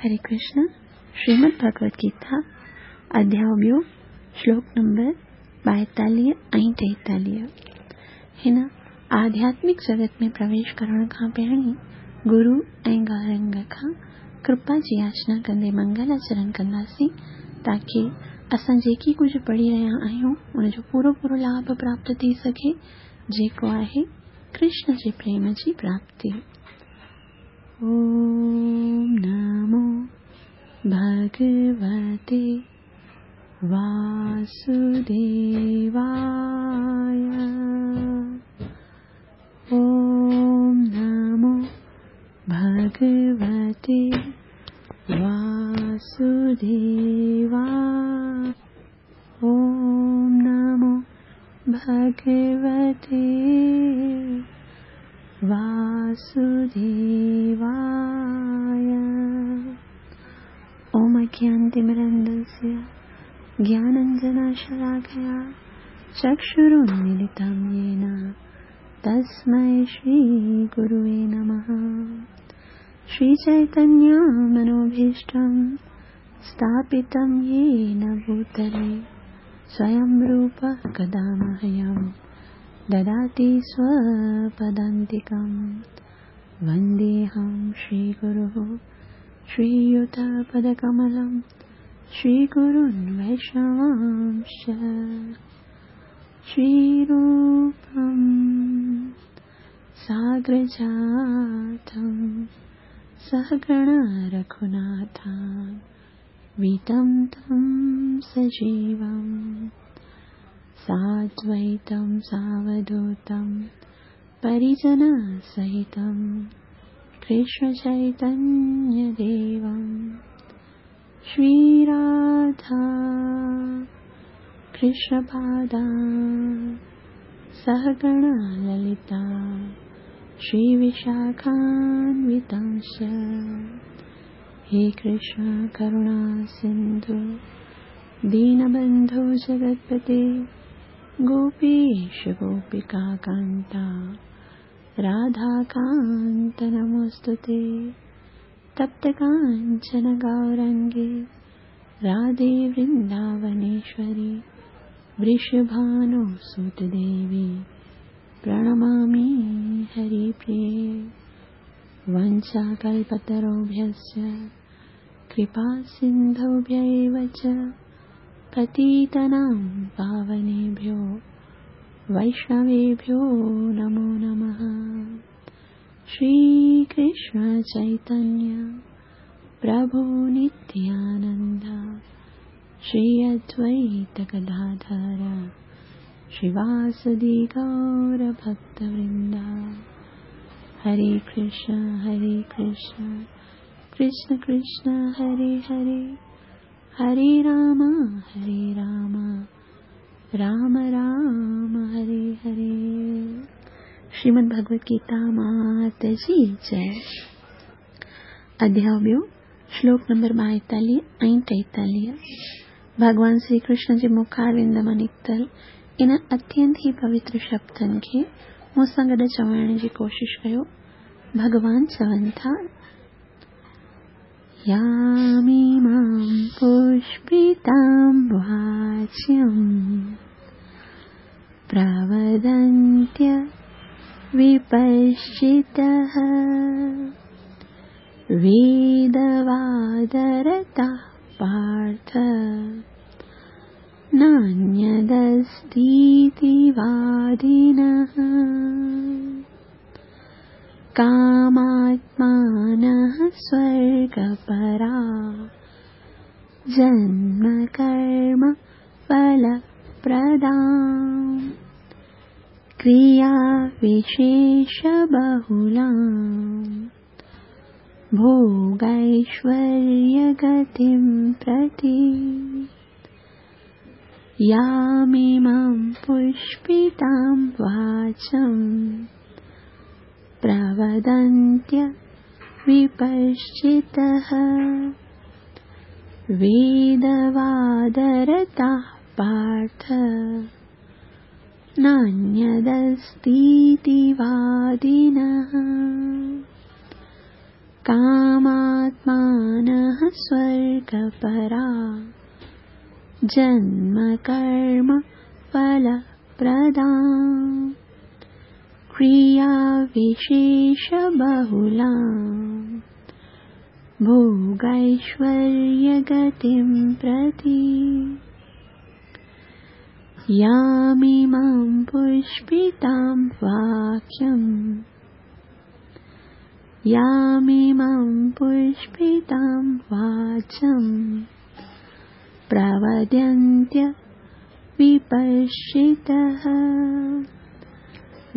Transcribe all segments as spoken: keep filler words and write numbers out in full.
हरे कृष्ण। श्रीमद् भगवत गीता अध्याय ॿियो श्लोक नंबर ॿाएतालीह ऐं टेतालीह। हिन आध्यात्मिक जगत में प्रवेश करण खां पहिरीं गुरू ऐं गौरंग खां कृपा जी याचना कंदे मंगलाचरण कंदासीं ताकी असां जेकी कुझु पढ़ी रहिया आहियूं उनजो पूरो पूरो लाभ प्राप्त थी सघे, जेको आहे कृष्ण जे प्रेम जी प्राप्ति। ओम नमो भगवते वासुदेवाय। ओम नमो भगवते वासुदेवाय। ओम नमो भगवते वासुदेवाय। ओम अज्ञानतिमिरान्धस्य ज्ञानाञ्जनशलाकया चक्षुरुन्मीलितं येन तस्मै श्रीगुरुवे नमः। श्रीचैतन्यमनोभीष्टं स्थापितं येन भूतले स्वयं रूपः कदा मह्यं ददाति स्वपदान्तिकं। वन्देऽहं श्रीगुरुः श्रीयुतपदकमलं श्रीगुरुन् वैष्णवांश्च। श्रीरूपं साग्रजातं सहगण रघुनाथान्वितं तं सजीवं साद्वैतं सावधूतं परिजनसहितं कृष्णचैतन्यदेवं। श्रीराधा कृष्णपादा सहगण ललिता श्रीविशाखान्वितांश्च। हे कृष्ण करुणा सिन्धु दीनबन्धो जगत्पते गोपीश गोपिकान्ता राधाकान्त नमोऽस्तुते। तप्तकाञ्चन गौरङ्गे राधे वृन्दावनेश्वरी वृषभानुसुतदेवी प्रणमामि हरिप्रिये। वञ्चाकल्पतरुभ्यश्च कृपासिन्धुभ्य एव च पतितानां पावनेभ्यो वैष्णवेभ्यो नमो नमः। श्रीकृष्ण चैतन्य प्रभु नित्यानन्द श्री अद्वैत गदाधर श्रीवासदि गौरभक्तवृन्द। हरे कृष्ण हरे कृष्ण कृष्ण कृष्ण हरे हरे, हरे राम हरे राम राम राम हरे हरे। श्रीमद् भगवत गीता मात जी जय। अध्याय ॿियो श्लोक नंबर ॿाएतालीह ऐं टेतालीह। भॻवान श्री कृष्ण जे मुखारविंद मां निकितल इन अत्यंत ई पवित्र शब्दनि खे मूंसां गॾु चवण जी कोशिश कयो। भॻवान चवनि था, यामिमां पुष्पितां वाच्यं प्रवदन्त्य विपश्चितः वेदवादरताः पार्थ नान्यदस्तीति वादिनः। कामात्मानः स्वर्गपरा जन्मकर्म फलप्रदा क्रियाविशेषबहुलां भोगैश्वर्यगतिं प्रति। यामिमां पुष्पितां वाचं प्रवदन्त्य विपश्चितः वेदवादरताः पार्थ नान्यदस्तीति वादिनः। कामात्मानः स्वर्गपरा जन्म कर्म फलप्रदा क्रिया विशेषबहुला भोगैश्वर्यगतिं प्रति। यामिमां पुष्पितां वाक्यं यामिमां पुष्पितां वाचं प्रवदन्त्य विपश्चितः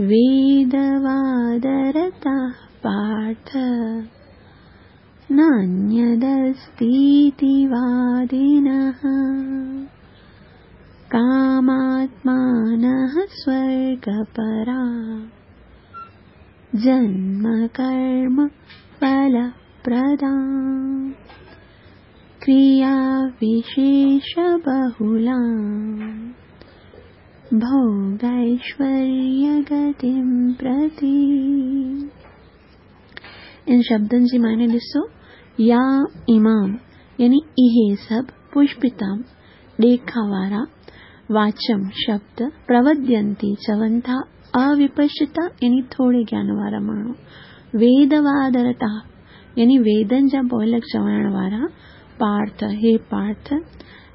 वेदवादरताः पार्थ नान्यदस्तीति वादिनः। कामात्मानः स्वर्गपरा जन्म कर्म फलप्रदा क्रिया विशेषबहुला भोगैश्वर्यगतिं प्रति। इन शब्दनि जी माने ॾिसो, या इमाम यानी इहे सभु पुष्पिताम ॾेखा वारा वाचम शब्द प्रवद्यंती चवनि था अविपश्चिता यानी थोरे ज्ञान वारा माण्हू, वेदवादरता यानी वेदनि जा पोइलग चवण वारा, पार्थ हे पार्थ,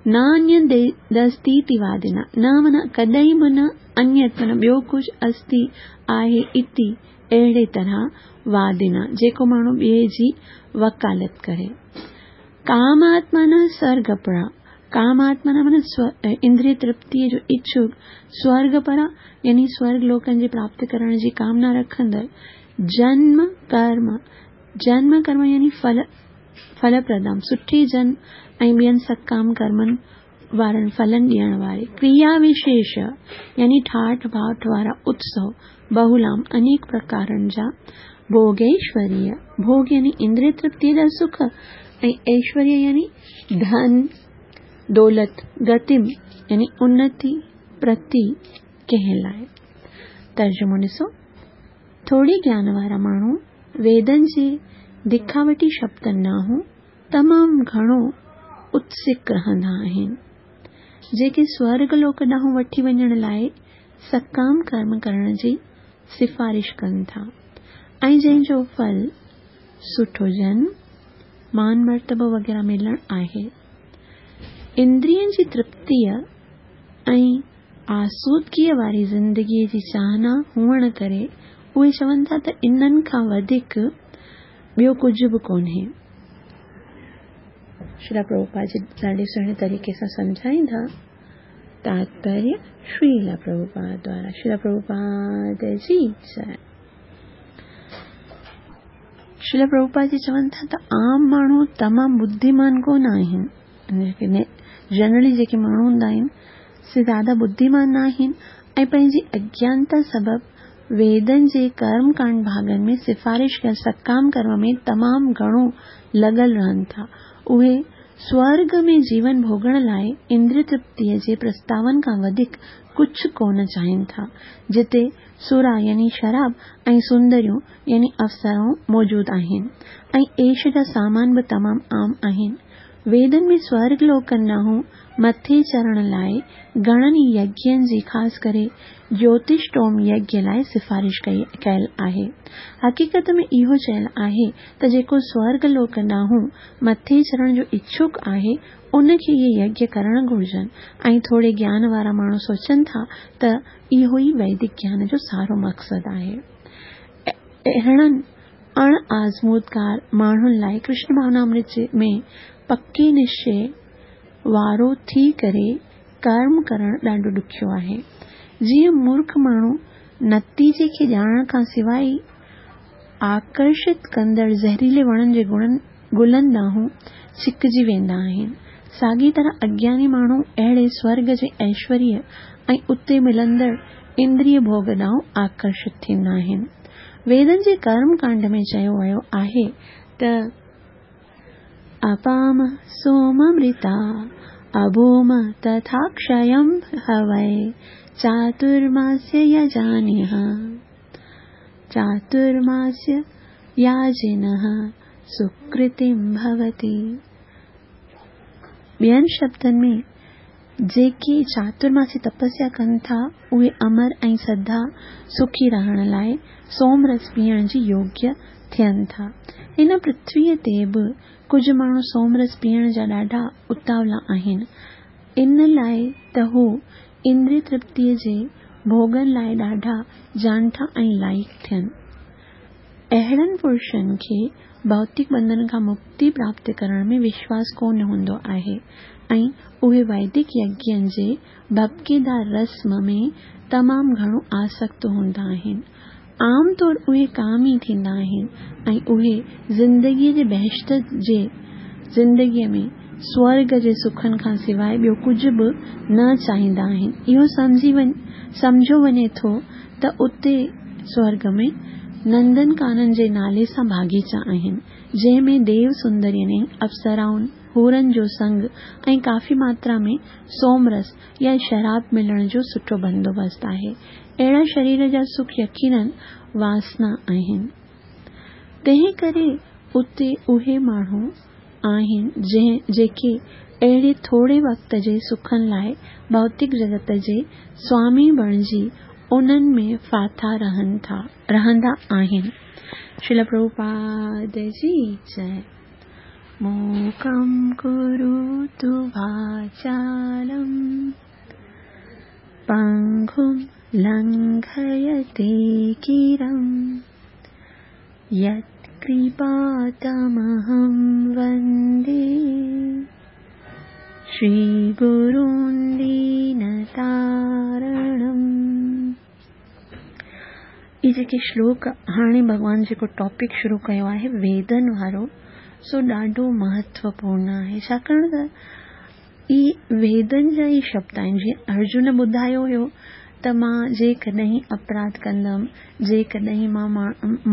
नान्यदस्तीति वादिना न माना कॾहिं बि न अन्यत माना ॿियो कुझु अस्ति आहे इति अहिड़े तरह वादिना जेको माण्हू ॿिए जी वकालत करे। कामात्मा न स्वर्गपरा कामात्मा न माना इंद्रिय तृप्तीअ जो इच्छुक स्वर्गपरा यानी स्वर्ग लोकनि जे प्राप्त करण जी कामना रखंदड़ जन्म कर्म जन्म कर्म यानी फल फलप्रदाम सुठी जन्म ऐं ॿियनि सकाम कर्मनि वारनि फलनि ॾियण वारे क्रिया विशेष यानी ठाठ भाठ वारा उत्सव बहुलाम अनेक प्रकारनि जा भोगैश्वर्य भोग यानी इंद्रिय तृप्तीअ जा सुख ऐं ऐश्वर्य यानी धन दौलत गतिम यानी उन्नति प्रति कंहिं लाइ। तर्जुमो ॾिसो, थोरे ज्ञान वारा माण्हू वेदनि जे दिखावटी शब्दनि ॾांहुं तमामु घणो उत्सुक रहंदा आहिनि, जेके स्वर्ग लोक ॾांहुं वठी वञण लाइ सकाम कर्म करण जी सिफारिश कनि था ऐं जंहिंजो फल सुठो जन्म मान मर्तबो वग़ैरह मिलणु आहे। इंद्रियनि जी तृप्तीअ ऐं आसूदगीअ वारी ज़िंदगीअ जी चाहना हुअण करे उहे चवनि था त इन्हनि खां वधीक ॿियो कुझु बि कोन्हे। श्रील प्रभुपाद जी ॾाढे सुहिणे तरीक़े सां सम्झाईंदा। तात्पर्य श्रील प्रभुपाद द्वारा। श्रील प्रभुपाद जी जय। श्रील प्रभुपाद जी चवनि था त आम माण्हू तमामु बुद्धिमान कोन आहिनि, जनरली जेके माण्हू हूंदा आहिनि से ज़्यादा बुद्धिमान न आहिनि ऐं पंहिंजी अज्ञानता सबबु वेदनि जे कर्मकांड भाॻनि में सिफारिश कयल सकाम कर्म में तमामु घणो लॻल रहनि था। उहे स्वर्ग में जीवन भोगण लाइ इंद्रिय तृप्तीअ जे प्रस्तावनि खां वधीक कुझु कोन चाहिनि था, जिते सुरा यानी शराब ऐं सुंदरियूं यानी अफ़सराऊं मौजूदु आहिनि ऐं ऐश जा सामान बि तमामु आम आहिनि। वेदनि में स्वर्ग लोकनि ॾांहुं मथे चढ़ण लाइ घणनि यज्ञनि जी ख़ासि करे ज्योतिषटोम यज्ञ लाइ सिफारिश कयल आहे। हक़ीक़त में इहो चयल आहे त जेको स्वर्ग लोक ॾांहुं मथे चढ़ण जो इच्छुक आहे उनखे इहे यज्ञ करण घुर्जनि ऐं थोरे ज्ञान वारा माण्हू सोचनि था त इहो ई वैदिक ज्ञान जो सारो मक़सदु आहे। अहिड़नि अण आज़मूदकार माण्हुनि लाइ कृष्ण भावनामृत में पके निश्चय वारो थी करे कर्म करण ॾाढो ॾुखियो आहे। जीअं मूर्ख माण्हू नतीजे खे ॼाणण खां सवाइ आकर्षित कंदड़ ज़हरीले वणनि जे गुलनि ॾांहुं छिकजी वेंदा आहिनि, साॻी तरह अज्ञानी माण्हू अहिड़े स्वर्ग जे ऐश्वर्य ऐं उते मिलंदड़ इंद्रिय भोग ॾांहुं आकर्षित थींदा आहिनि। वेदनि जे कर्मकांड में चयो वियो आहे त अपाम सोममृता अभूम तथाक्षयं हवै चातुर्मास्य यजानिह चातुर्मास्य याजिनः सुकृतिं भवति। ٻين شبدن ۾، جيڪي چاترماسي تپسيا ڪن ٿا، اهي امر ۽ سدا سکي رهڻ لاء سوم رس پيئڻ جي يوگيه ٿين ٿا. هن پرٿويء تي به ڪجهه ماڻهو سوم رس پيئڻ جا ڏاڍا اتاولا آهن، ان لاء ته هو اندريه ترپتيء جي ڀوڳن لاء ڏاڍا جانٺا ۽ لائق ٿين. اهڙن پرشن کي ڀوتڪ ٻنڌن کان مڪتي پراپت ڪرڻ ۾ وشواس ڪونه هوندو آهي ۽ اهي ويدڪ يگين جي ڀڀڪيدار رسم ۾ تمام گهڻو آسڪت هوندا آهن. عام طور اهي ڪامي ٿيندا آهن ۽ اهي زندگيء جي بهشت جي زندگيء ۾ سورڳ جي سکن کان سواء ٻيو ڪجهه به نه چاهيندا آهن. اهو سمجهيو وڃي ٿو ته اتي سورڳ ۾ نندن ڪانن جي نالي سان باغيچا آهن، جنهن ۾ ديو سندرين ۽ اپسرائن، حورن جو سنگ ۽ ڪافي ماترا ۾ سوم رس يا شراب ملڻ جو سٺو بندوبست آهي. اهڙا شرير جا سک يقينن واسنا آهن. تنهن ڪري اتي اهي ماڻهو آهن جيڪي اهڙي ٿوري وقت جي سکن لاء ڀوتڪ جڳت جي سوامي بڻجي انهن ۾ ڦاٿا رهندا آهن. شريل پرڀوپاد جي جئي. موڪم ڪروتु واچالم پنگم لنگهيتي گرم يت ڪرپا تمهم وندي شري گرون دينتارڻم. اهي جيڪي شلوڪ هاڻي ڀڳوان جيڪو ٽاپڪ شروع ڪيو آهي ويدن وارو، سو ڏاڍو مهتوپورڻ آهي، ڇاڪاڻ ته اهي ويدن جا ئي شبد آهن. جيئن ارجن ٻڌايو هيو ته مان جيڪڏهن اپراڌ ڪندم، جيڪڏهن مان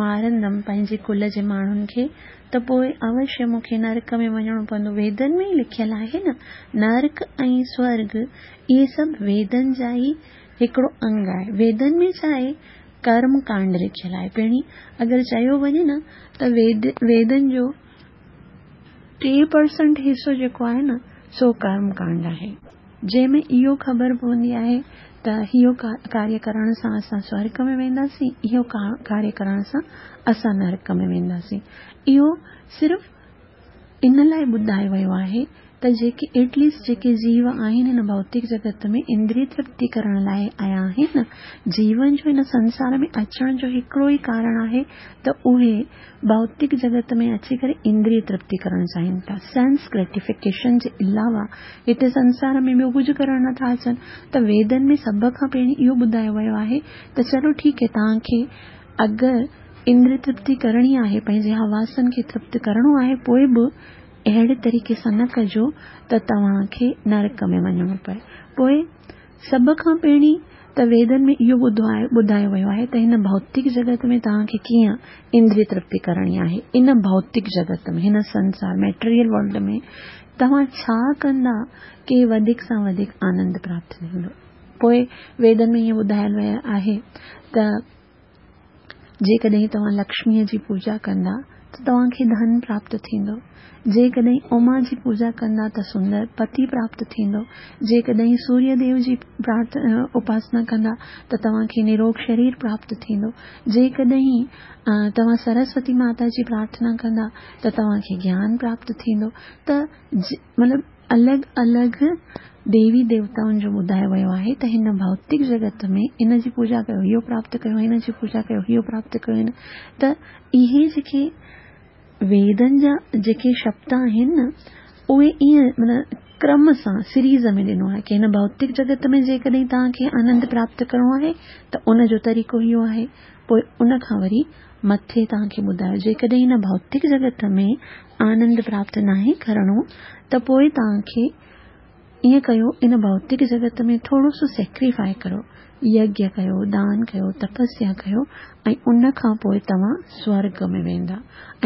مارندم پنهنجي ڪل جي ماڻهن کي، ته پوءِ اوشيه مون کي نرڪ ۾ وڃڻو پوندو. ويدن ۾ ئي لکيل آهي نه، نرڪ ۽ سورڳ اهي سڀ ويدن جا ئي هڪڙو انگ آهي. ويدن ۾ ڇا آهي؟ ڪرم ڪانڊ لکيل آهي. پهرين اگر چيو وڃي نه ته ويد ويدن جو ٽي پرسنٽ حصو جيڪو آهي نه، سو ڪرم ڪانڊ آهي، جنهن ۾ اهو خبر پوندي آهي ته اهو ڪاريه ڪرڻ سان اسان سورڳ ۾ وينداسين، اهو ڪاريه ڪرڻ سان اسان نرڪ ۾ وينداسين. اهو صرف ان لاءِ ٻڌايو ويو آهي ته جيڪي ايٽ ليسٽ جيڪي جيو آهن هن ڀوتڪ جڳت ۾ اندريه ترپتي ڪرڻ لاءِ آيا آهن، جيون جو هن سنسار ۾ اچڻ جو هڪڙو ئي ڪارڻ آهي ته اهي ڀوتڪ جڳت ۾ اچي ڪري اندريه ترپتي ڪرڻ چاهين ٿا. سينس گريٽيفڪيشن جي علاوه هتي سنسار ۾ ٻيو ڪجهه ڪرڻ نٿا اچن. ته ويدن ۾ سڀ کان پهرين اهو ٻڌايو ويو آهي ته چلو ٺيڪ آهي، توهان کي اگر اندريه ترپتي ڪرڻي آهي، پنهنجي حواسن کي ترپت ڪرڻو آهي، پوءِ به اهڙي طريقي سان نه ڪجو ته توهان کي نرڪ ۾ وڃڻو پئي. پوءِ سڀ کان پهرين ته ويدن ۾ اهو ٻڌايو ويو آهي ته هن ڀوتڪ جڳت ۾ توهان کي ڪيئن اندريه ترپتي ڪرڻي آهي. ان ڀوتڪ جڳت ۾، هن سنسار ميٽيريل ورلڊ ۾ توهان ڇا ڪندا ڪه وڌيڪ سان وڌيڪ آنند پراپت ٿيندو. پوءِ ويدن ۾ ائين ٻڌايل ويو آهي ته جيڪڏهن توهان لڪشميءَ جي پوڄا ڪندا ته توهان کي ڌن پراپت ٿيندو، جيڪڏهن اما جي پوڄا ڪندا ته سندر پتي پراپت ٿيندو، جيڪڏهن سوريه ديو جي اپاسنا ڪندا ته توهان کي نروڳ شرير پراپت ٿيندو، جيڪڏهن توهان سرسوتي ماتا جي پرارٿنا ڪندا ته توهان کي گيان پراپت ٿيندو. ته مطلب الڳ الڳ ديوي ديوتائن جو ٻڌايو ويو آهي ته هن ڀوتڪ جڳت ۾ ان جي پوڄا ڪيو اهو پراپت ڪيو، هن جي پوڄا ڪيو اهو پراپت ڪيو. هن ته اهي جيڪي ويدن جا جيڪي شبد آهن نه، اهي ائين معنيٰ ڪرم سان سيريز ۾ ڏنو آهي ڪه هن ڀوتڪ جڳت ۾ جيڪڏهن توهان کي آنند پراپت ڪرڻو آهي ته ان جو طريقو اهو آهي. پوءِ ان کان وري مٿي توهان کي ٻڌايو، جيڪڏهن هن ڀوتڪ جڳت ۾ آنند پراپت ناهي ڪرڻو ته پوءِ توهان کي ائين ڪيو، ان ڀوتڪ جڳت ۾ ٿورو سو سيڪريفائي ڪرو، يگيه ڪيو، دان ڪيو، تپسيا ڪيو ۽ ان کان پوءِ توهان سورڳ ۾ ويندا.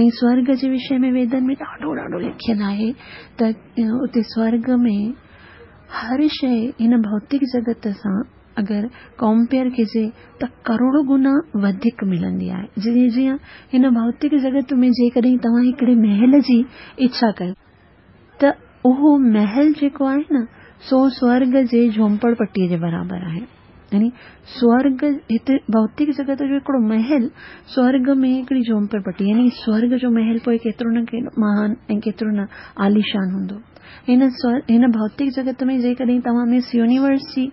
۽ سورڳ جي وشي ۾ ويدن ۾ ڏاڍو ڏاڍو لکيل آهي ته اتي سورڳ ۾ هر شيءِ هن ڀوتڪ جڳت سان اگر ڪمپيئر ڪجي ته ڪروڙو گنا وڌيڪ ملندي آهي. جيئن جيئن هن ڀوتڪ جڳت ۾ جيڪڏهن توهان هڪڙي محل جي اڇا ڪيو ته اهو محل جيڪو آهي نه سو سورڳ جي جهوپڙ پٽيءَ جي برابر آهي. يعني سورڳ هتي ڀوتڪ جڳت جو هڪڙو محل سورڳ ۾ هڪڙي جهوپڙ پٽي، يعني سورڳ جو محل پوءِ ڪيترو نه مهان ۽ ڪيترو نه عاليشان هوندو. هن هن ڀوتڪ جڳت ۾ جيڪڏهن توهان مس يونيورس جي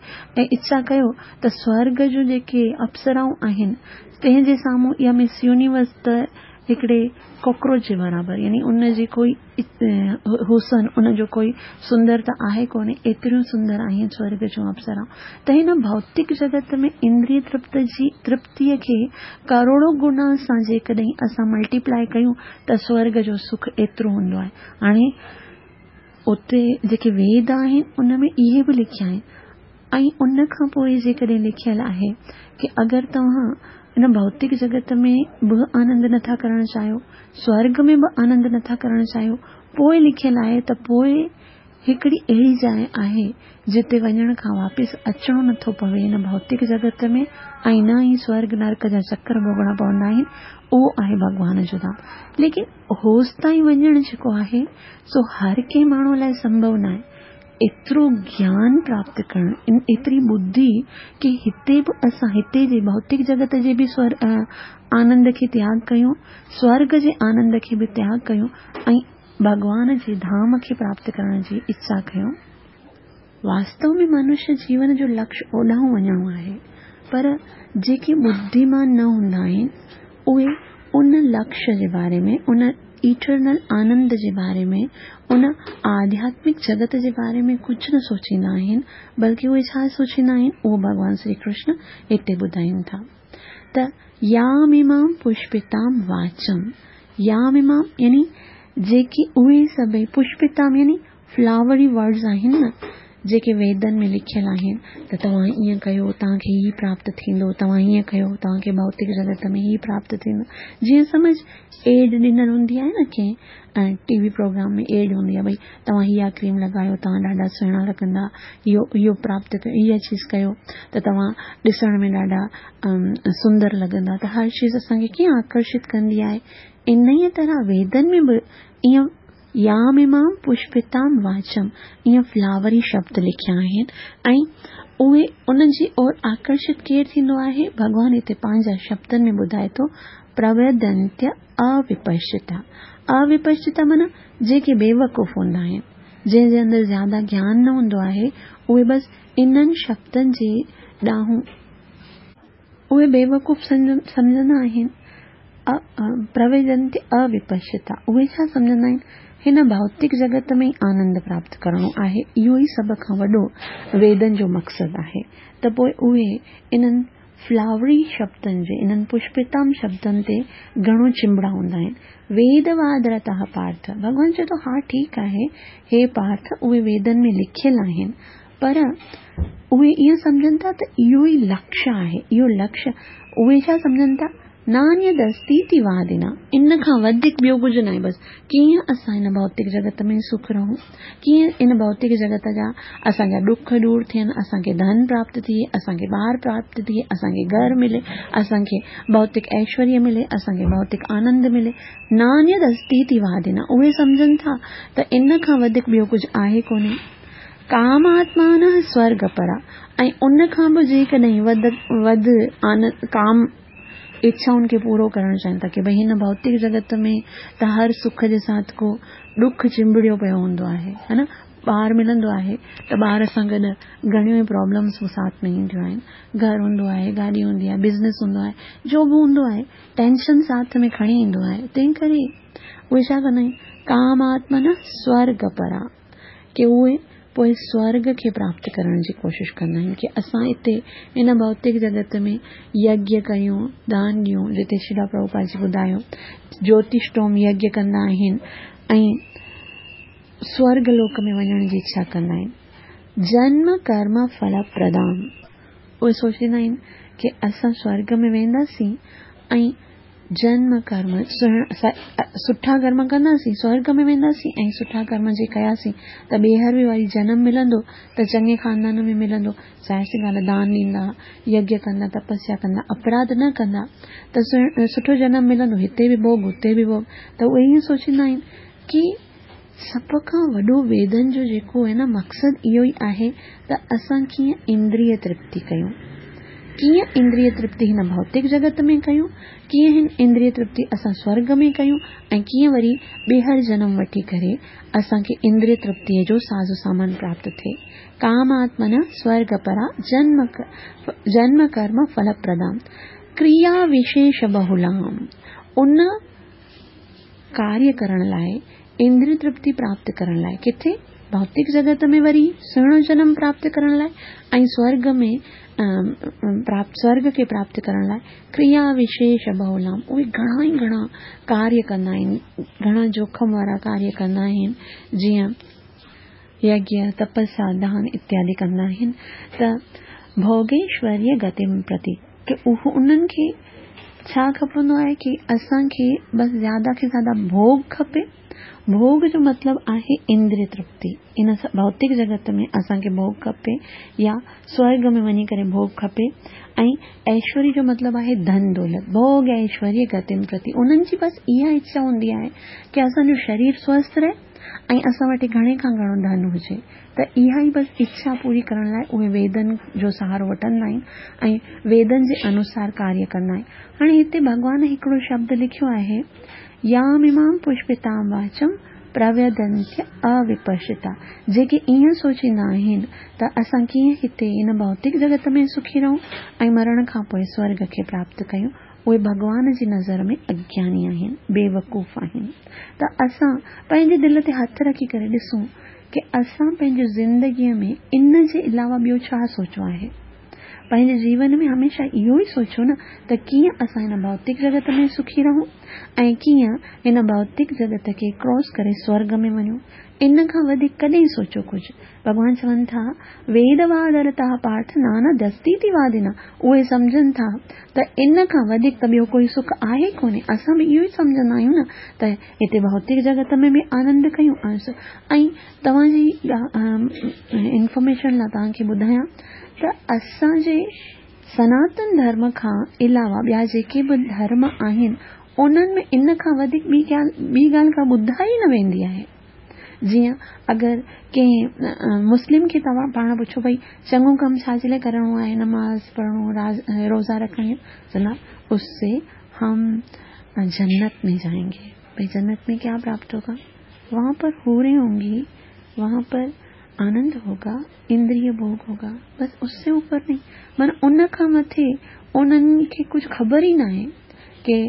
اڇا ڪيو ته سورڳ جون جيڪي اپسرائون آهن تنهن جي سامهون اها مس يونيورس ته هڪڙي ڪاڪروچ جي برابر، يعني ان جي ڪوئي حسن، ان جو ڪوئي سندرتا آهي ڪونهي، ايتريون سندر آهن سورڳ جون اپسرائون. ته هن ڀوتڪ جڳت ۾ اندريه ترپت جي ترپتيءَ کي ڪروڙو گنا سان جيڪڏهن اسان ملٽيپلائي ڪيون ته سورڳ جو سک ايترو هوندو آهي. هاڻي اتي جيڪي ويد آهن ان ۾ اهي به لکيا آهن ۽ ان کان پوءِ جيڪڏهن لکيل آهي ڪه اگر توهان ان ڀوتڪ جڳت ۾ به آنند نٿا ڪرڻ چاهيو، سورڳ ۾ به آنند نٿا ڪرڻ چاهيو، پوءِ لکيل آهي ته پوءِ هڪڙي اهڙي جاءِ آهي جتي وڃڻ کان واپس اچڻو نٿو پوي هن ڀوتڪ جڳت ۾ ۽ نه ئي سورڳ نرڪ جا چڪر ڀوڳڻا پوندا آهن، اهو آهي ڀڳوان جو ڌام. ليڪن هوس تائين وڃڻ جيڪو آهي سو هر ڪنهن ماڻهوءَ لاءِ سنڀو نه آهي. ايترو گيان پراپت ڪرڻ، ايتري ٻڌي ڪه هتي به اسان هتي جي ڀوتڪ جڳت جي به سور آنند کي تياڳ ڪيون، سورڳ جي آنند کي به تياڳ ڪيون ۽ ڀڳوان جي ڌام کي پراپت ڪرڻ جي اڇا ڪيون. واستو ۾ منشيه جيون جو لڪشيه اوڏانهن وڃڻو آهي، پر جيڪي ٻڌيمان نه هوندا آهن اهي ان لڪشيه جي باري ۾، ان ايٽرنل آنند جي باري ۾، ان آڌياتمڪ جڳت جي باري ۾ ڪجهه نه سوچيندا آهن، بلڪه اهي ڇا سوچيندا آهن اهو ڀڳوان شري ڪرشن هتي ٻڌائين ٿا ته ياميمام پشپتام واچم. ياميمام يعني جيڪي اهي سڀئي پشپتام يعني فلاوري ورڊز آهن نه جيڪي ويدن ۾ لکيل آهن ته توهان ائين ڪيو توهان کي هي پراپت ٿيندو، توهان هيئن ڪيو توهان کي ڀوتڪ جڳت ۾ هي پراپت ٿيندو. جيئن سمجهه ايڊ ڏنل هوندي آهي نه ڪنهن ٽي وي پروگرام ۾ ايڊ هوندي آهي ڀئي توهان اها ڪريم لڳايو توهان ڏاڍا سهڻا لڳندا، اهو اهو پراپت ڪيو، اها چيز ڪيو ته توهان ڏسڻ ۾ ڏاڍا سندر لڳندا. ته هر چيز اسان کي ڪيئن آڪرشت ڪندي آهي. ان ئي طرح ويدن ۾ به ائين ياميمام پشپتام واچم ائين فلاوري شبد لکيا آهن ۽ اهي ان جي اور آڪرشت ڪير ٿيندو آهي؟ ڀڳوان هتي پنهنجا شبدن ۾ ٻڌائي ٿو پرويدنتيه اوپشتا. اوپشتا معنيٰ جيڪي بيوقوف هوندا آهن، جنهن جي اندر زياده گيان نه هوندو آهي، اهي بس انهن شبدن جي ڏانهن اهي بيوقوف سمجهندا آهن. پرويدنتيه اوپشتا اهي ڇا سمجهندا آهن؟ هن ڀوتڪ جڳت ۾ ئي آنند پراپت ڪرڻو آهي، اهو ئي سڀ کان وڏو ويدن جو مقصد آهي. ته پوءِ اهي انهن فلاوري شبدن جي، انهن پشپتام شبدن تي گهڻو چنبڙا هوندا آهن. ويدوادرتः پارٿ، ڀڳوان چئي ٿو ها ٺيڪ آهي هي پارٿ، اهي ويدن ۾ لکيل آهن، پر اهي ائين سمجهن ٿا ته اهو ئي لڪشيه آهي، اهو لڪشيه. اهي ڇا سمجهن ٿا؟ نانيدستيتي وادنا، ان کان وڌيڪ ٻيو ڪجهه نه آهي. بس ڪيئن اسان هن ڀوتڪ جڳت ۾ سک رهون، ڪيئن ان ڀوتڪ جڳت جا اسان جا ڏک دور ٿين، اسان کي ڌن پراپت ٿئي، اسان کي ٻار پراپت ٿئي، اسان کي گهر ملي، اسان کي ڀوتڪ ايشوريه ملي، اسان کي ڀوتڪ آنند ملي. نانيدستيتي وادنا، اهي سمجهن ٿا ته ان کان وڌيڪ ٻيو ڪجهه آهي ڪونهي. ڪاماتمان سورڳ پرا، ۽ ان کان به جيڪڏهن وڌ وڌ ڪام اڇائن کي پورو ڪرڻ چاهين ٿا ڪه ڀئي هن ڀوتڪ جڳت ۾ ته هر سک جي ساٿ ڪو ڏک چنبڙيو پيو هوندو آهي، ها نه؟ ٻار ملندو آهي ته ٻار سان گڏ گهڻيون ئي پرابلمس به ساٿ ۾ اينديون آهن. گهر هوندو آهي، گاڏي هوندي آهي، بزنس هوندو آهي، جو به هوندو آهي ٽينشن ساٿ ۾ کڻي ايندو آهي. تنهن ڪري اهي ڇا ڪندا آهن؟ ڪاماتمن سورڳ پرا، ڪه اهي پوءِ سورڳ کي پراپت ڪرڻ جي ڪوشش ڪندا آهن ڪه اسان هتي هن ڀوتڪ جڳت ۾ يگيه ڪيون، دان ڏيون، جتي شري پرڀوپاد جي ٻڌايو جيوتشٽوم يگيه ڪندا آهن ۽ سورڳ لوڪ ۾ وڃڻ جي اڇا ڪندا آهن. جنم ڪرم ڦل پردان، اهي سوچيندا آهن ڪه اسان سورڳ ۾ وينداسين ۽ جنم ڪرم سٺا ڪرم ڪنداسين، سورڳ ۾ وينداسين ۽ سٺا ڪرم جي ڪياسين ته ٻيهر به وري جنم ملندو ته چڱي خاندان ۾ ملندو. ظاهر سي ڳالهه، دان ڏيندا، يگيه ڪندا، تپسيا ڪندا، اپراڌ نه ڪندا ته سٺو جنم ملندو، هتي به ڀوڳ هتي به ڀوڳ. ته اهي ائين سوچيندا آهن ڪه سڀ کان وڏو ويدن جو جيڪو آهي نه مقصد اهو ئي آهي ته اسان ڪيئن اندريه ترپتي ڪيون، ڪيئن اندريه ترپتي هن ڀوتڪ جڳت ۾ ڪيون، ڪيئن هن اندريه ترپتي اسان سورڳ ۾ ڪيون ۽ ڪيئن وري ٻيهر جنم وٺي ڪري اسان کي اندريه ترپتيء جو ساز سامان پراپت ٿئي. ڪاماتمن سورڳ پرا جنم جنم ڪرم ڦل پردام ڪريا وشيش بهولام ان ڪاريه ڪرڻ لاء اندريه ترپتي پراپت ڪرڻ لاء ڪٿي ڀوتڪ جڳت ۾ وري سهڻو جنم پراپت ڪرڻ لاء ۽ سورڳ ۾ پراپت سورڳ کي پراپت ڪرڻ لاء ڪريا وشيش بهولام اهي گهڻا ئي گهڻا ڪاريه ڪندا آهن، گهڻا جوکم وارا ڪاريه ڪندا آهن، جيئن يگيه، تپسيا، دان اتيادي ڪندا آهن ته ڀوگيشوريه گتيم پرتي ڪي اهو انهن کي ڇا کپندو آهي ڪي اسان کي بس زياده کي زياده ڀوڳ کپي. ڀوڳ جو مطلب آهي اندريه ترپتي. ان ڀوتڪ جڳت ۾ اسان کي ڀوڳ کپي يا سورڳ ۾ وڃي ڪري ڀوڳ کپي ۽ ايشوريه جو مطلب آهي ڌن دولت. ڀوڳ ايشوريه گتيم پرتي انهن جي بس اها اڇا هوندي آهي ڪي اسان جو شرير سوسٿ رهي ۽ اسان وٽ گهڻي کان گهڻو ڌن هجي ته اها ئي بس اڇا پوري ڪرڻ لاء اهي ويدن جو سهارو وٺندا آهن ۽ ويدن جي انوسار ڪاريه ڪندا آهن. هاڻي هتي ڀڳوان هڪڙو شبد لکيو آهي ياميمام پشپتام واچم پرويدنتي اوپشتا جيڪي ائين سوچيندا آهن ته اسان ڪيئن هتي هن ڀوتڪ جڳت ۾ سکي رهون ۽ مرڻ کان پوء سورڳ کي پراپت ڪيون، اهي ڀڳوان جي نظر ۾ اگياني آهن، بيوقوف آهن. ته اسان پنهنجي دل تي هٿ رکي ڪري ڏسون ڪي اسان پنهنجي زندگيء ۾ ان جي علاوه ٻيو ڇا سوچيو آهي؟ پنهنجي جيون ۾ هميشه اهو ئي سوچيو نه ته ڪيئن اسان هن ڀوتڪ جڳت ۾ سکي رهون ۽ ڪيئن هن ڀوتڪ جڳت کي ڪراس ڪري سورڳ ۾ وڃون. ان کان وڌيڪ ڪڏهن سوچيو ڪجهه؟ ڀڳوان چون ٿا، ويدوادرتا پارٿ نانيدستيتي وادنا. اهي سمجهن ٿا ته ان کان وڌيڪ ته ٻيو ڪوئي سک آهي ڪونهي. اسان به اهو ئي سمجهندا آهيون نه ته هتي ڀوتڪ جڳت ۾ به آنند ڪيون ۽ توهان جي انفارميشن لاء توهان کي ٻڌايان ته اسان جي سناتن ڌرم کان علاوه ٻيا جيڪي به ڌرم آهن انهن ۾ ان کان وڌيڪ ٻي ٻي ڳالهه ڪا ٻڌائي نه ويندي آهي. جيئن اگر ڪنهن مسلم کي توهان پاڻ پڇو ڀئي چڱو ڪم ڇا جي لاءِ ڪرڻو آهي، نماز پڙهڻو، روزا رکڻي، چوندا اس سي هم جنت ۾ جائينگي. ڀئي جنت ۾ ڪيا پراپت هوگا؟ وهان پر حورين هونگي، وهان پر آنند هوگا، اندريه ڀوڳ هوگا، بس اس سي اوپر نهين. معنيٰ ان کان مٿي انهن کي ڪجهه خبر ئي ناهي ڪي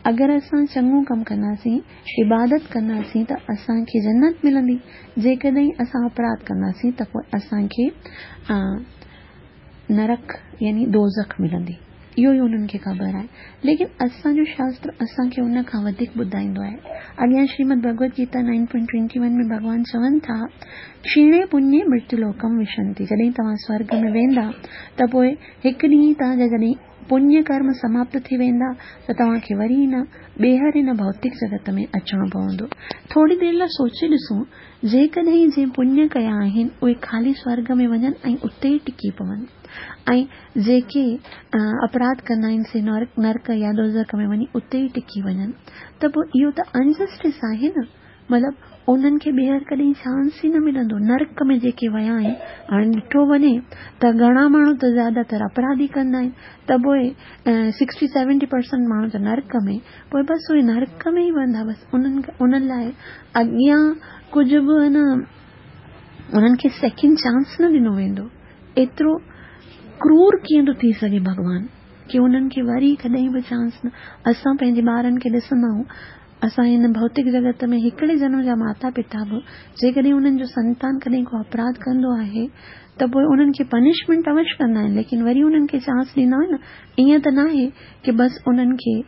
اگر اسان چڱو ڪم ڪنداسين، عبادت ڪنداسين ته اسان کي جنت ملندي، جيڪڏهن اسان اپراڌ ڪنداسين ته پوءِ اسان کي نرڪ يعني دوزخ ملندي. اهو ئي انهن کي خبر آهي. ليڪن اسان جو شاستر اسان کي ان کان وڌيڪ ٻڌائيندو آهي. اڳيان Shrimad Bhagavad Gita nine point twenty one ۾ ڀڳوان چون ٿا، ڪشيڻي پڃي مرتيولوڪم وشنتي. جڏهن توهان سورڳ ۾ ويندا ته پوءِ هڪ ڏينهن توهان جا جڏهن پڃ ڪرم سماپت ٿي ويندا ته توهان کي وري نه ٻيهر هن ڀوتڪ جڳت ۾ اچڻو پوندو. ٿوري دير لاءِ سوچي ڏسون، جيڪڏهن جنهن پڃ ڪيا آهن اهي خالي سورڳ ۾ وڃن ۽ اتي ئي ٽڪي پون ۽ جيڪي اپراڌ ڪندا آهن سي نرڪ يا دوزخ ۾ وڃي اتي ئي ٽڪي وڃن ته پوءِ اهو ته انجسٽس آهي نه. مطلب انهن کي ٻيهر ڪڏهن چانس ئي نه ملندو. نرڪ ۾ جيڪي ويا آهن، هاڻي ڏٺو وڃي ته گهڻا ماڻهو ته زياده تر اپراڌ ئي ڪندا آهن ته پوءِ سڪسٽي سيونٽي پرسنٽ ماڻهو ته نرڪ ۾ پوءِ بس اهي نرڪ ۾ ئي ويندا. بس انهن انهن لاءِ اڳيان ڪجهه به نه انهن کي سيڪنڊ چانس نه ڏنو ويندو. ايترو ڪرور ڪيئن ٿو ٿي سگهي ڀڳوان ڪي انهن کي وري ڪڏهن به چانس نه. اسان پنهنجي ٻارن کي ڏسندا آهيون، اسان هن ڀوتڪ جڳت ۾ هڪڙي جنم جا ماتا پتا به جيڪڏهن انهن جو سنتان ڪڏهن ڪو اپراڌ ڪندو آهي ته پوءِ انهن کي پنشمينٽ اوشيه ڪندا آهن، ليڪن وري انهن کي چانس ڏيندا آهن نه. ائين ته ناهي ڪي بس انهن کي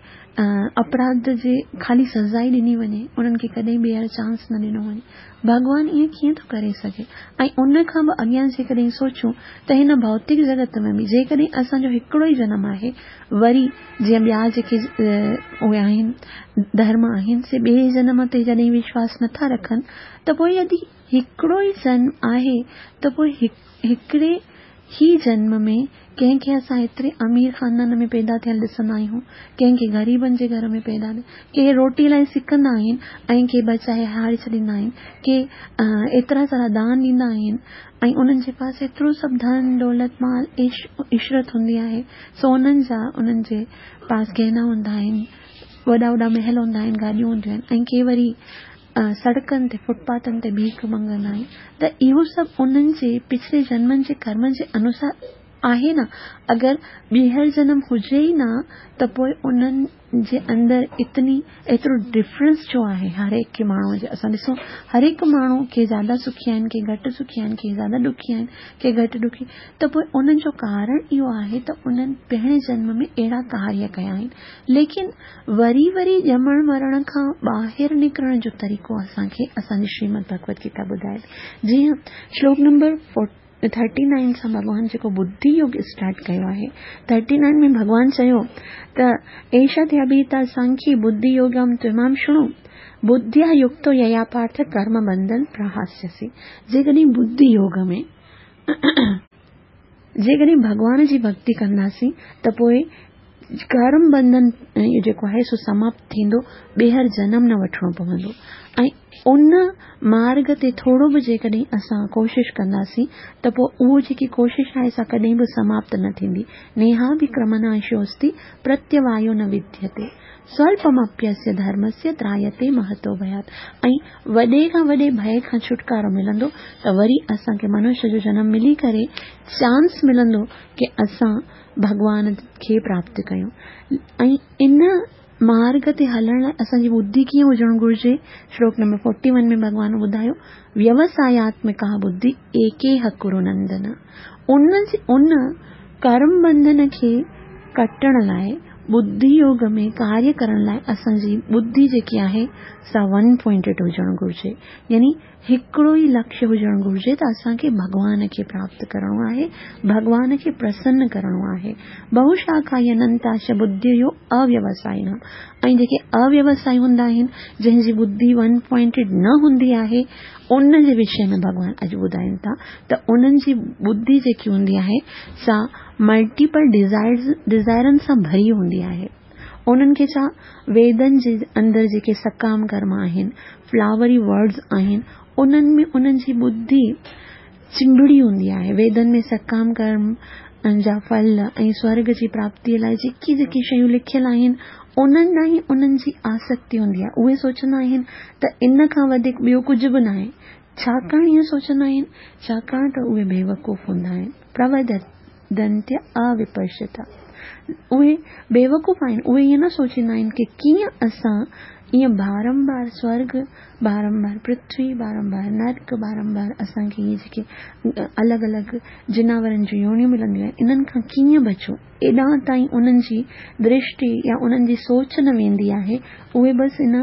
اپراڌ جي خالي سزا ئي ڏني وڃي، انهن کي ڪڏهن ٻيهر چانس نه ڏنو وڃي. ڀڳوان ائين ڪيئن ٿو ڪري سگهي؟ ۽ ان کان به اڳيان جيڪڏهن سوچون ته هن ڀوتڪ جڳت ۾ به جيڪڏهن اسان جو هڪڙو ئي جنم آهي، وري جيئن ٻيا جيڪي اهي آهن ڌرم آهن سي ٻئي جنم تي جڏهن وشواس نٿا رکن ته پوءِ يدي هڪڙو ئي جنم آهي ته پوءِ هڪڙي هي جنم ۾ ڪنهن کي اسان ايتري امير خاندان ۾ پيدا ٿيل ڏسندا آهيون، ڪنهن کي غريبن جي گهر ۾ پيدا، ڪي روٽي لاءِ سڪندا آهن ۽ ڪي بچائي هاري ڇڏيندا آهن، ڪي ايترا سارا دان ڏيندا آهن ۽ انهن جي پاس ايترو سڀ ڌن دولت مال عيش عشرت هوندي آهي، سونن جا انهن جي پاس گهنا هوندا آهن، وڏا وڏا محل هوندا آهن، گاڏيون هونديون آهن ۽ ڪي وري سڙڪن تي فٽپاٿن تي ڀيک مڱندا آهن. ته اهو سڀ انهن جي پڇلي جنمن جي ڪرمن جي انوسار آهي نه. اگر ٻيهر جنم هجي ئي نه ته پوءِ انهن جي اندر اتني ايترو ڊفرنس ڇو آهي؟ هر هڪ ماڻهوءَ جي اسان ڏسون هر هڪ ماڻهو ڪي زياده سکي آهن، ڪي گهٽ سکي آهن، ڪي زياده ڏکي آهن، ڪي گهٽ ڏکي. ته پوءِ انهن جو ڪارڻ اهو آهي ته انهن پهرين جنم ۾ اهڙا ڪاريه ڪيا آهن. ليڪن وري وري ڄمڻ مرڻ کان ٻاهر نڪرڻ جو طريقو اسان کي اسان جي شريمد ڀڳوت گيتا ٻڌائي ٿي. جيئن شلوڪ نمبر ٿرٽي نائن سان ڀڳوان جيڪو ٻڌي يوگ اسٽارٽ ڪيو آهي، ٿرٽي نائن ۾ ڀڳوان چيو ته ايشا ٿي اڀيتا سانکي ٻڌي يوگم تمام شڻو ٻڌيا يڪتو ييا پارٿ ڪرم بنڌن پرهاسيسي. جيڪڏهن ٻڌي يوگ ۾ جيڪڏهن ڀڳوان جي ڀڪتي ڪنداسين ته پوءِ ڪرم بنڌن اهو جيڪو آهي سو سماپت ٿيندو، ٻيهر جنم نه وٺڻو پوندو. ۽ ان مارگ تي ٿورو به جيڪڏهن اسان ڪوشش ڪنداسين ته پوءِ اهو جيڪي ڪوشش آهي سا ڪڏهن به سماپت نه ٿيندي. نيها به ڪرمناشوستي پرتيوايو نه وديتي سوالپمپيسيه ڌرمسيه ترايتي مهتو ڀيات. ۽ وڏي کان وڏي ڀي کان ڇوٽڪارو ملندو ته وري اسان کي منشيه جو جنم ملي ڪري چانس ملندو ڪه اسان ڀڳوان کي پراپت ڪيون. ۽ ان مارگ تي هلڻ لاءِ اسان جي ٻڌي ڪيئن هجڻ گهرجي؟ شلوڪ نمبر فورٽي ون ۾ ڀڳوان ٻڌايو ويوساياتمڪا ٻڌي ايڪيهه ڪرو نندن. ان ان ڪرم بنڌن کي ڪٽڻ لاءِ ٻڌي يوگ ۾ ڪاريه ڪرڻ لاءِ اسان جي ٻڌي جيڪي آهي سا ون پوائنٽيڊ هجڻ گهرجي، يعني هڪڙو ئي لڪشيه هجڻ گهرجي ته اسان کي ڀڳوان کي پراپت ڪرڻو آهي، ڀڳوان کي پرسن ڪرڻو آهي. بهوشاکا اننتاش ٻڌيو اويوسائي. ۽ جيڪي اويوسائي هوندا آهن، جنهن جي ٻڌي ون پوائنٽيڊ نه هوندي آهي، ان جي وشي ۾ ڀڳوان اڄ ٻڌائين ٿا ته انهن جي ٻڌي جيڪي هوندي آهي سا ملٽيپل ڊزائرز ڊزائرن سان ڀري هوندي آهي. انهن کي ڇا ويدن جي اندر جيڪي سڪام ڪرم آهن، فلاوري ورڊز آهن، انهن ۾ انهن جي ٻڌي چنبڙي هوندي آهي. ويدن ۾ سڪام ڪرم جا ڦل ۽ سورڳ جي پراپتيءَ لاءِ جيڪي جيڪي شيون لکيل آهن انهن ڏانهن انهن جي آسڪتي هوندي آهي. اهي سوچندا آهن ته ان کان وڌيڪ ٻيو ڪجهه به نه آهي. ڇاڪاڻ ائين سوچندا آهن؟ ڇاڪاڻ ته اهي بيوقوف هوندا آهن. پروڌنتيه اوپشتا. اهي بيوقوف آهن. اهي ائين نه سوچيندا آهن ڪه ڪيئن اسان ائين بارمبار سورڳ، بارمبار پرٿوي، بارمبار نرڪ، بارمبار اسان کي اهي جيڪي الڳ الڳ جناورن جون يونيون ملنديون آهن انهن کان ڪيئن بچون. ايڏا تائين انهن جي درشٽي يا انهن جي سوچ نه ويندي آهي. اهي بس ان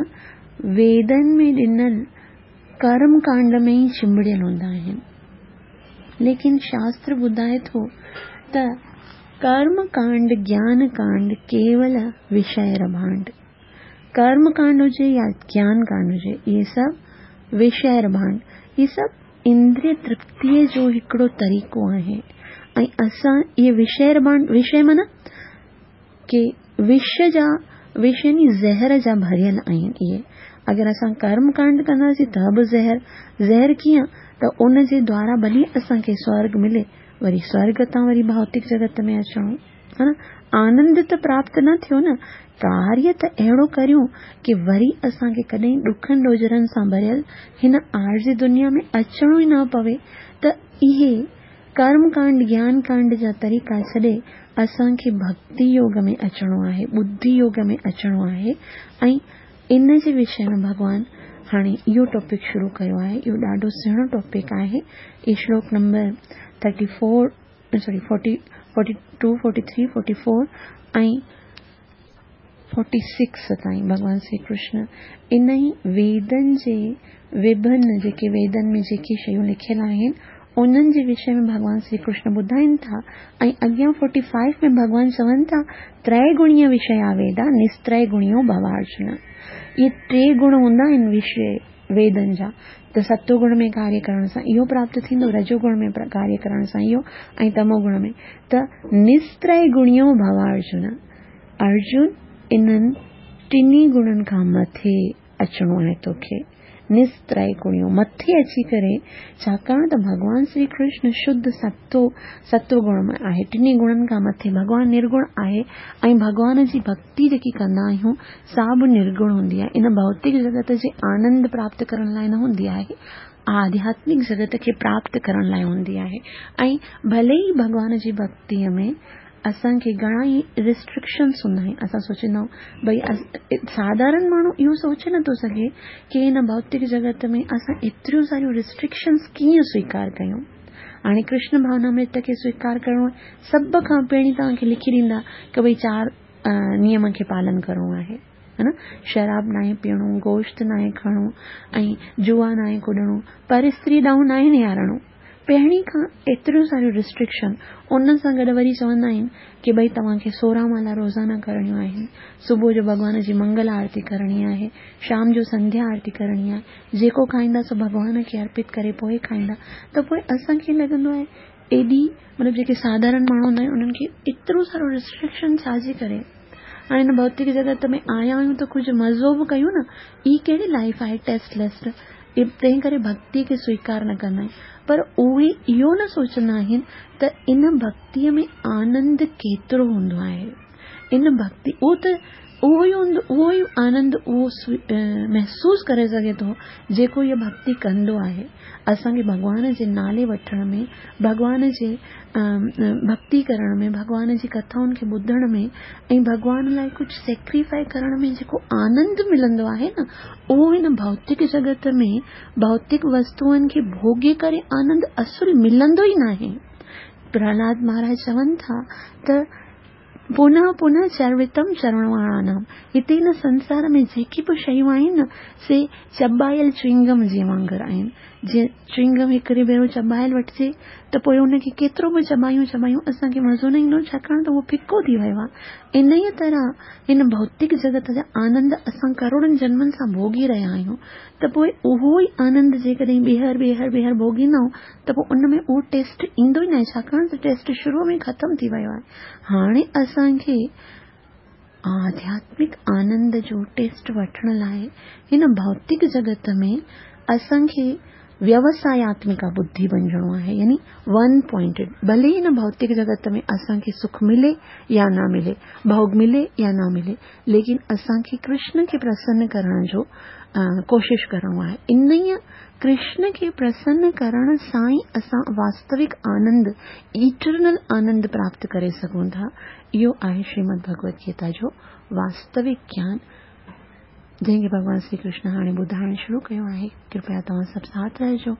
ويدن ۾ ڏنل ڪرم ڪانڊ ۾ ئي چنبڙيل هوندا آهن. ليڪن شاستر ٻڌائي ٿو ته ڪرم ڪانڊ گيان ڪانڊ ڪيول وشيه رڀانڊ. ڪرم ڪانڊ هجي يا گيان ڪانڊ هجي، اهي سڀ وشيه رڀانڊ، اهي سڀ اندريه ترپتيءَ جو هڪڙو طريقو آهي. ۽ اسان اهي وشيه رڀانڊ، وشيه معنيٰ ڪه وش جا، وش يعني زهر جا ڀريل آهن. اهي اگر اسان ڪرم ڪانڊ ڪنداسين ته به زهر. زهر ڪيئن؟ ته ان جي دوارا ڀلي اسان کي سورڳ ملي، وري سورڳ تان وري ڀوتڪ جڳت ۾ اچڻو، ها نه؟ آنند ته پراپت نه ٿيو نه. ڪاريه ته اهڙو ڪريون ڪه وري اسان کي ڪڏهن ڏکن ڏوجهرن سان ڀريل هن عارضي دنيا ۾ اچڻو ئي نه پوي. ته اهي ڪرم ڪانڊ گيان ڪانڊ جا طريقا ڇڏي اسان کي ڀڪتي يوگ ۾ اچڻو آهي، ٻڌي يوگ ۾ اچڻو آهي. ۽ ان جي وشي ۾ ڀڳوان هاڻي اهو ٽاپڪ شروع ڪيو آهي. اهو ڏاڍو سهڻو ٽاپڪ آهي. اهو شلوڪ number thirty four sorry forty forty two forty three forty four ۽ forty six تائين ڀڳوان شري ڪرشن ان ئي ويدن جي وڀن جيڪي ويدن ۾ جيڪي شيون لکيل آهن انهن جي وشي ۾ ڀڳوان شري ڪرشن ٻڌائين ٿا. ۽ اڳيان فورٽي فائيو ۾ ڀڳوان چون ٿا تري گڻيه وشيا ويدا نستري گڻيو ڀوارجن. اهي ٽي گڻ هوندا آهن وشيه ويدن جا ته ستو گڻ ۾ ڪاريه ڪرڻ سان اهو پراپت ٿيندو، رجوگڻ ۾ ڪاريه ڪرڻ سان اهو ۽ تموگڻ ۾. ته نستري گڻيو ڀو ارجن، ارجن انهن ٽنهي گڻن کان مٿي اچڻو آهي توکي. نستري گڻيو مٿي اچي ڪري، ڇاڪاڻ ته ڀڳوان شري ڪرشن شڌ ستو ستو گڻ ۾ آهي، ٽنهي گڻن کان مٿي ڀڳوان نرگڻ آهي ۽ ڀڳوان جي ڀڳتي جيڪي ڪندا آهيون سا به نرگڻ هوندي آهي. ان ڀوتڪ جڳت جي آنند پراپت ڪرڻ لاءِ نه هوندي آهي، آڌياتمڪ جڳت کي پراپت ڪرڻ لاءِ هوندي آهي. ۽ ڀلي ئي ڀڳوان جي ڀڳتيءَ ۾ اسان کي گهڻا ئي ريسٽرڪشنس هوندا آهن، اسان سوچيندا آهيون ڀئي ساڌارڻ ماڻهو اهو سوچي نٿو سگهي ڪه هن ڀوتڪ جڳت ۾ اسان ايتريون ساريون ريسٽرڪشنس ڪيئن سويڪار ڪيون. هاڻي ڪرشن ڀاونامرت کي سويڪار ڪرڻو آهي، سڀ کان پهرين توهان کي لکي ڏيندا ڪه ڀئي چار نيم کي پالن ڪرڻو آهي، ها نه، شراب ناهي پيئڻو، گوشت ناهي کائڻو ۽ جوا ناهي ڪڏڻو، پر استري ڏانهن ناهي نهارڻو. پهرين کان ايتريون ساريون ريسٽرڪشن، ان سان گڏ وري چوندا آهن ڪه ڀئي توهان کي سورهن مالا روزانه ڪرڻيون آهن، صبح جو ڀڳوان جي منگل آرتي ڪرڻي آهي، شام جو سنڌيا آرتي ڪرڻي آهي، جيڪو کائيندا سو ڀڳوان کي ارپت ڪري پوءِ کائيندا. ته پوءِ اسان کي لڳندو آهي ايڏي مطلب جيڪي ساڌارڻ ماڻهو هوندا آهن انهن کي ايترو سارو ريسٽرڪشن ڇا جي ڪري؟ هاڻي هن ڀوتڪ جڳت ۾ آيا آهيون ته ڪجهه مزو به ڪيون نه، هي ڪهڙي لائيف آهي ٽيسٽليس؟ تنهن ڪري ڀڳتيءَ کي سويڪار نه ڪندا آهن. پر اهي اهو نه سوچندا آهن ته ان ڀڳتيءَ ۾ آنند ڪيترو هوندو آهي. ان ڀڳتي اهو ته اهو ئي هوندو، اهو ئي آنند اهو محسوس ڪري سگهي ٿو جيڪو اها ڀڳتي ڪندو آهي. اسان کي ڀڳوان جي نالي وٺڻ ۾، ڀڳوان جي ڀڳتي ڪرڻ ۾، ڀڳوان جي ڪٿائن کي ٻڌڻ ۾ ۽ ڀڳوان لاءِ ڪجهه سيڪريفائي ڪرڻ ۾ جيڪو آنند ملندو آهي نه، اهو هن ڀوتڪ جڳت ۾ ڀوتڪ وستوئن کي ڀوڳي ڪري آنند اصل ملندو ئي ناهي. پرهلاد مهاراج چون ٿا ته پنهه پنهه چرڻم چرڻواڻانم، هتي هن سنسار ۾ جيڪي به شيون آهن نه سي چٻايل چوئنگم جي وانگر آهن. جيئن چوئنگم هڪڙي ڀيرو چٻايل وٺجي ته پوءِ ان کي ڪيترو به چٻايون چٻايون اسان کي مزو نه ايندو، ڇاڪاڻ ته اهو ڦڪو ٿي ويو آهي. ان ئي طرح هن ڀوتڪ جڳت جا آنند اسان ڪروڙن جنمن سان ڀوڳي رهيا آهيون، ته پوءِ اهو ئي آنند جيڪڏهن ٻيهر ٻيهر ٻيهر ڀوڳيندا آهيون ته پوءِ ان ۾ اهو ٽيسٽ ايندو ئي نه آهي، ڇاڪاڻ ته ٽيسٽ شروع ۾ ختم ٿي ويو آهي. هاڻي اسان کي آڌياتمڪ آنند جو ٽيسٽ وٺڻ لاءِ هن ڀوتڪ جڳت ۾ اسان کي ويوساياتمڪا ٻڌي بڻجڻو آهي، يعني ون پوائنٽيڊ. ڀلي هن ڀوتڪ جڳت ۾ اسان کي سک ملي يا نه ملي، ڀوڳ ملي يا نه ملي، ليڪن اسان کي ڪرشن کي پرسن ڪرڻ جو ڪوشش ڪرڻو آهي. ان ئي ڪرشن کي پرسن ڪرڻ سان ئي اسان واستوڪ آنند، ايٽرنل آنند پراپت ڪري سگهون ٿا. اهو آهي شريمد ڀڳوت گيتا جو واستوڪ گيان، جنهن کي ڀڳوان شري ڪرشن هاڻي ٻڌائڻ شروع ڪيو آهي. ڪرپيا توهان سڀ ساٿ رهجو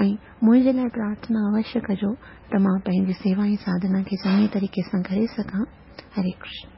۽ منهنجي لاءِ پرارٿنا اوشيه ڪجو ته مان پنهنجي سيوا ۽ ساڌنا کي چڱي طريقي سان ڪري سگهان. هري ڪرشن.